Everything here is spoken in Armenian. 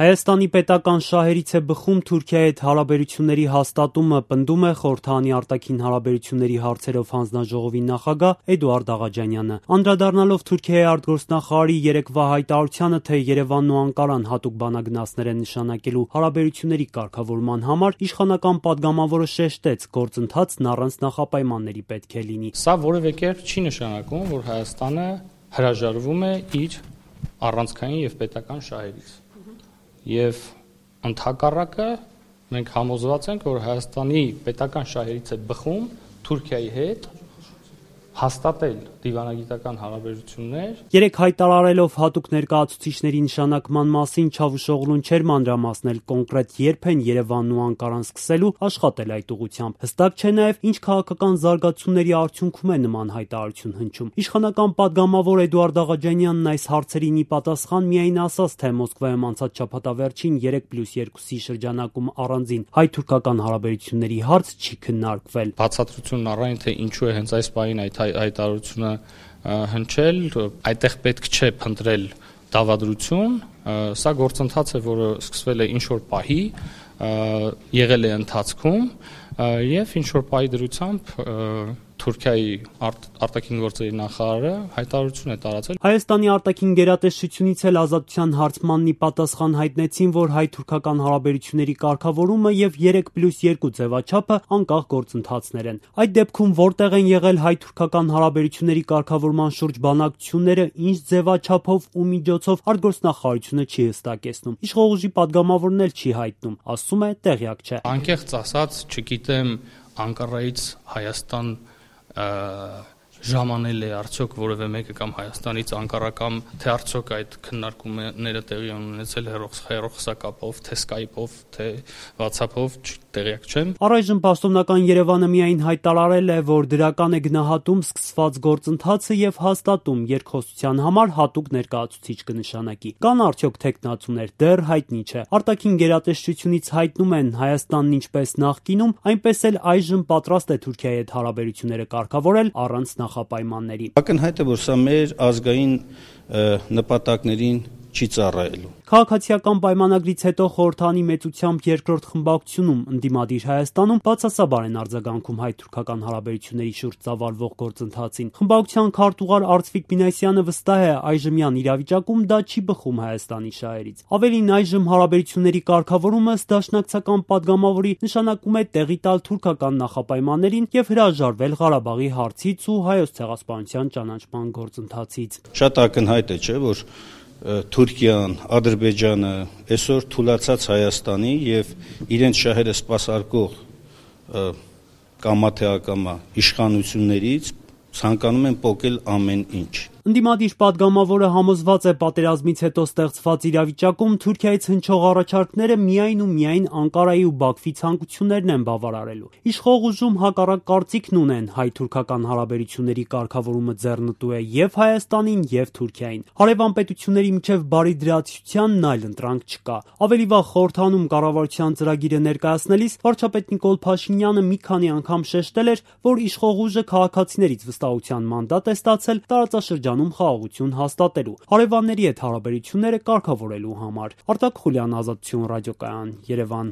Հայաստանի պետական շահերից է բխում Թուրքիայի հետ հարաբերությունների հաստատումը, պնդում է Խորհրդանի արտաքին հարաբերությունների հարցերով հանձնաժողովի նախագահ Էդուարդ Աղաջանյանը։ Անդրադառնալով Թուրքիայի արտգործնախարարի երեկվա հայտարարությանը, թե Երևանն ու Անկարան հատուկ բանագնացներ են նշանակելու հարաբերությունների կարգավորման համար, իշխանական падգամավորը շեշտեց, գործընթացն առանց նախապայմանների պետք է լինի։ Սա որևէ կերպ չի նշանակում, որ Հայաստանը հրաժարվում է իր առանցքային եւ պետական շահերից։ Եվ ընդհակառակը մենք համոզված ենք, որ Հայաստանի պետական շահերից է բխում Թուրքիայի հետ հաստատել դիվանագիտական հարաբերություններ։ Երեք հայտարարելով հատուկ ներկայացուցիչների նշանակման մասին Չավուշօղլուն չէր մանրամասնել կոնկրետ երբ են Երևանն ու Անկարան սկսելու աշխատել այդ ուղղությամբ։ Հստակ չէ նաև ինչ քաղաքական զարգացումների արդյունքում է նման հայտարարություն հնչում։ Իշխանական падգամավոր Էդուարդ Աղաջանյանն այս հարցերին ի պատասխան միայն ասաց, թե Մոսկվայում անցած շաբաթավերջին 3+2-ի շրջանակում առանձին հայ-թուրքական հարաբերությունների հարց չի քննարկվել։ Բացատրությունն առայն թե ինչու է հենց այս պահին այդ հայտարարությունը հնչել, այդտեղ պետք չէ փնտրել դավադրություն, սա գործընթաց է, որը սկսվել է ինչ-որ պահի, եղել է ընթացքում եւ ինչ-որ պահի դրությամբ Թուրքիայի արտաքին գործերի նախարարը հայտարարություն է տարածել։ Հայաստանի արտաքին գերատեսչությունից էլ Ազատության հարցմանն ի պատասխան հայտնեցին, որ հայ-թուրքական հարաբերությունների կարգավորումը եւ 3+2 ձևաչափը անկախ գործընթացներ են։ Այդ դեպքում որտեղ են եղել հայ-թուրքական հարաբերությունների կարգավորման շուրջ բանակցությունները, ինչ ձևաչափով ու միջոցով արտգործնախարարությունը չի հստակեցնում։ Իշխող ուժի падգամավորն էլ չի հայտնում, ասում է տեղյակ չէ։ Անկեղծ ասած, չգիտեմ Անկարայից Հայաստան ժամանել է արդյոք որևէ մեկը կամ Հայաստանից Անկարա կամ թե արդյոք այդ քննարկումները տեղի ունեցել հեռախոսակապով, թե Skype-ով, թե WhatsApp-ով, տեղյակ չեմ։ Առայժմ պաշտոնական Երևանը միայն հայտարարել է, որ դրական է գնահատում սկսված գործընթացը եւ հաստատում երկխոսության համար հատուկ ներկայացուցիչ կնշանակի։ Կան արդյոք թեկնածուներ, դեռ հայտնի չէ։ Արտաքին գերատեսչությունից հայտնում են Հայաստանն ինչպես նախկինում, այնպես էլ այժմ պատրաստ է Թուրքիայի հետ հարաբերությունները կարգավորել առանց նախապայմանների։ Ակնհայտ է, որ սա մեր ազգային նպատակներին չի ծառայելու։ Քաղաքացիական պայմանագրից հետո Խորհրդանի մեծությամբ երկրորդ խմբակցությունում ընդդիմադիր Հայաստանում բացասաբար են արձագանքում հայ-թուրքական հարաբերությունների շուրջ ծավալվող գործընթացին։ Խմբակցության քարտուղար Արծվիկ Մինասյանը վստահ է, այժմյան իրավիճակում դա չի բխում Հայաստանի շահերից։ Ավելին, այժմ հարաբերությունների կարգավորումը դաշնակցական падգամավորի նշանակում է տեղի տալ թուրքական նախապայմաններին եւ հրաժարվել Ղարաբաղի հարցից ու Հայոց ցեղասպանության ճանաչման գործընթացից։ Շատ ակնհայտ է, չէ՞, որ Թուրքիան, Ադրբեջանը այսօր թուլացած Հայաստանի եւ իրենց շահերը սպասարկող կամա թե ակամա իշխանություններից ցանկանում են պոկել ամեն ինչ։ Ընդդիմադիր падգամավորը համոզված է, պատերազմից հետո ստեղծված իրավիճակում Թուրքիայից հնչող առաջարկները միայն ու միայն Անկարայի ու Բաքվի ցանկություններն են բավարարելու։ Իշխող ուժում հակառակ կարծիքն ունեն, հայ-թուրքական հարաբերությունների կարգավորումը ձեռնտու է եւ Հայաստանին եւ Թուրքիային։ Հարևան պետությունների միջև բարի դրացիությանն այլ ընտրանք չկա։ Ավելի վաղ Խորհրդանում կառավարության ծրագիրը ներկայացնելիս վարչապետ Նիկոլ Փաշինյանը մի քանի անգամ շեշտել էր, որ իշխող ուժը քաղաքացիներից վստահության մանդատ է ստացել տարածաշրջանում խաղաղություն հաստատելու, հարևանների հետ հարաբերությունները կարգավորելու համար։ Արտակ Խուլյան, Ազատություն ռադիոկայան, Երևան։